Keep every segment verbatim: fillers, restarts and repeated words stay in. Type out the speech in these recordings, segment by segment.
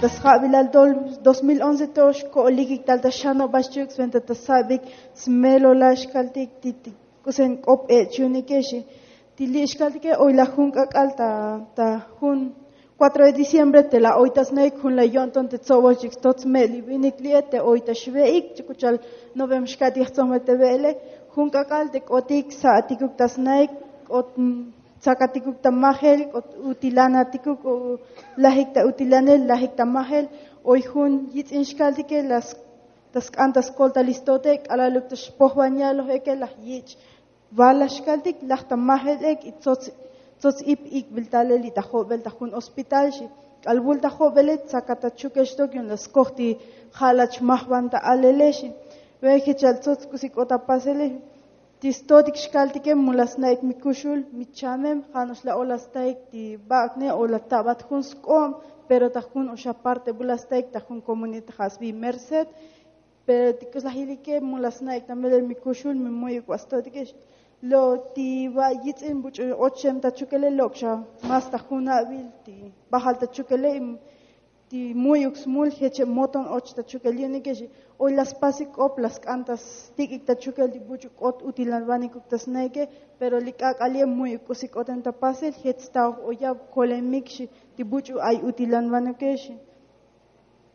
Ta sjabilal tol dos mil once to xko'olikik tal ta xanobal xchi'uk sventa ta sabik smelolal xkaltik ti ti k'usen k'op e'ech yu'unike xi. Ti li' xkaltike oy laj jun k'ak'al ta ta jun cuatro de diciembre te la oy ta snaik jun la yo'nton te tsoboxchik stot sme' li vinik li'e te oy ta xve'ik chi k'u cha'al novem xka'tik jtsonjbel te ve'ele. Jun k'ak'al te k'otik sa'atikuk ta snaik k'ot tsakatikuk ta majel k'ot utilanatikuk o lajik ta utilanel lajik ta majel. Oy jun yitz'in xkaltike las ta sk'an ta skoltalistote k'alaluk ta xpojban yaloj eke laj yich' vala xkaltik laj ta majel ek y tsots tsots ip ik'bil talel li' ta jobel ta jun hospital xi. K'al vul ta jobele tsakat ta chukel xtok yu'un la skoj ti ja' lach majban ta alele xi. Ve jechal tsots k'usi k'ot ta pasele. Ti stotik xkaltike mu la sna'ik mi kuxul mi chamem ja' no'ox la ola staik ti bak'ne o la tabat jun sk'ob pero ta jun oxa parte bu la staik ta jun komunidad ja' sbi merced. Pero ti k'usi la jilike mu la sna'ik ta melel mi kuxul mi mu'yuk va stotike. Lo' ti va yitz'in buch'u och xem ta chukele lok' xa mas ta jun abil ti bajal ta chukele. Ti mu'yuk smul jeche' moton och ta chukel yu'unike xi. Oy la spasik k'op la sk'an ta stik'ik ta chukel ti buch'u k'ot utilanvanikuk ta snaike. Pero li k'ak'al ye' mu'yuk k'usi k'oten ta pasel jech sta oj oyab kolemik xi. Ti buch'u ay utilanvanike xi.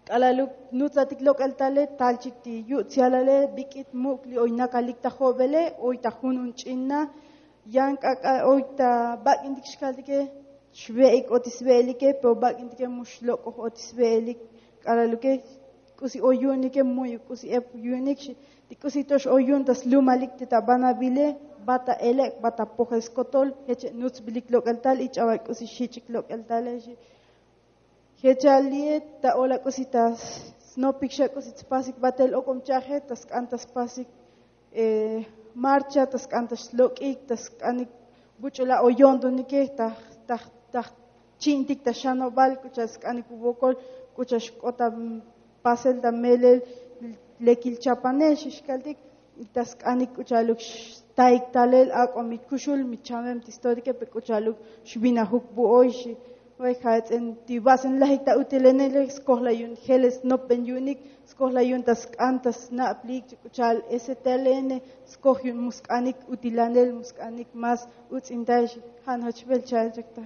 K'alaluk nutsatik lok'el tale talchik ti yu' tsyalale bik'it muk' li oy nakalik ta jobele oy ta jun un ch'in na. Yan k'ak'al oy ta bak'intik xkaltike xve'ik ot isve'elike pero bak'intike mu xlok'oj ot isve'elik. K'alaluke k'usi oy yu'unike mu'yuk k'usi ep yu'unik xi. Ti k'usi to'ox oy yu'un ta slumalik ti ta banabile. Bat ta elek' bat ta pojel skotol jeche' nutsbilik lok'el tal y ch'abal k'usi xich'ik lok'el tale xi. Jechal li'e ta ola k'usi ta snopik xa k'usi tspasik batel ok'om cha'aje ta sk'an ta spasik marcha ta sk'an ta slok'ik ta sk'anik buch'u la' oy yo'ntonike ta ta ta chi'intik ta xanobal k'u cha'al sk'anik vukokol k'u cha'al xk'ot ta pasel ta melel lekil chapanel xi xkaltik. Y ta sk'anik k'u cha'aluk xtaik talel ak'o mi kuxul mi chamem ti stotike pe k'u cha'aluk xvinajuk bu oy xi. Vay ja' ts'in ti vasen lajik ta utilenele skoj la yu'un jeles nopben yu'unik skoj la yu'un ta sk'an ta sna'plik chi k'u cha'al ese telene skoj yu'un mu sk'anik utilanel mu sk'anik mas uts'intal xi. Ja' no'ox bel cha'al chak ta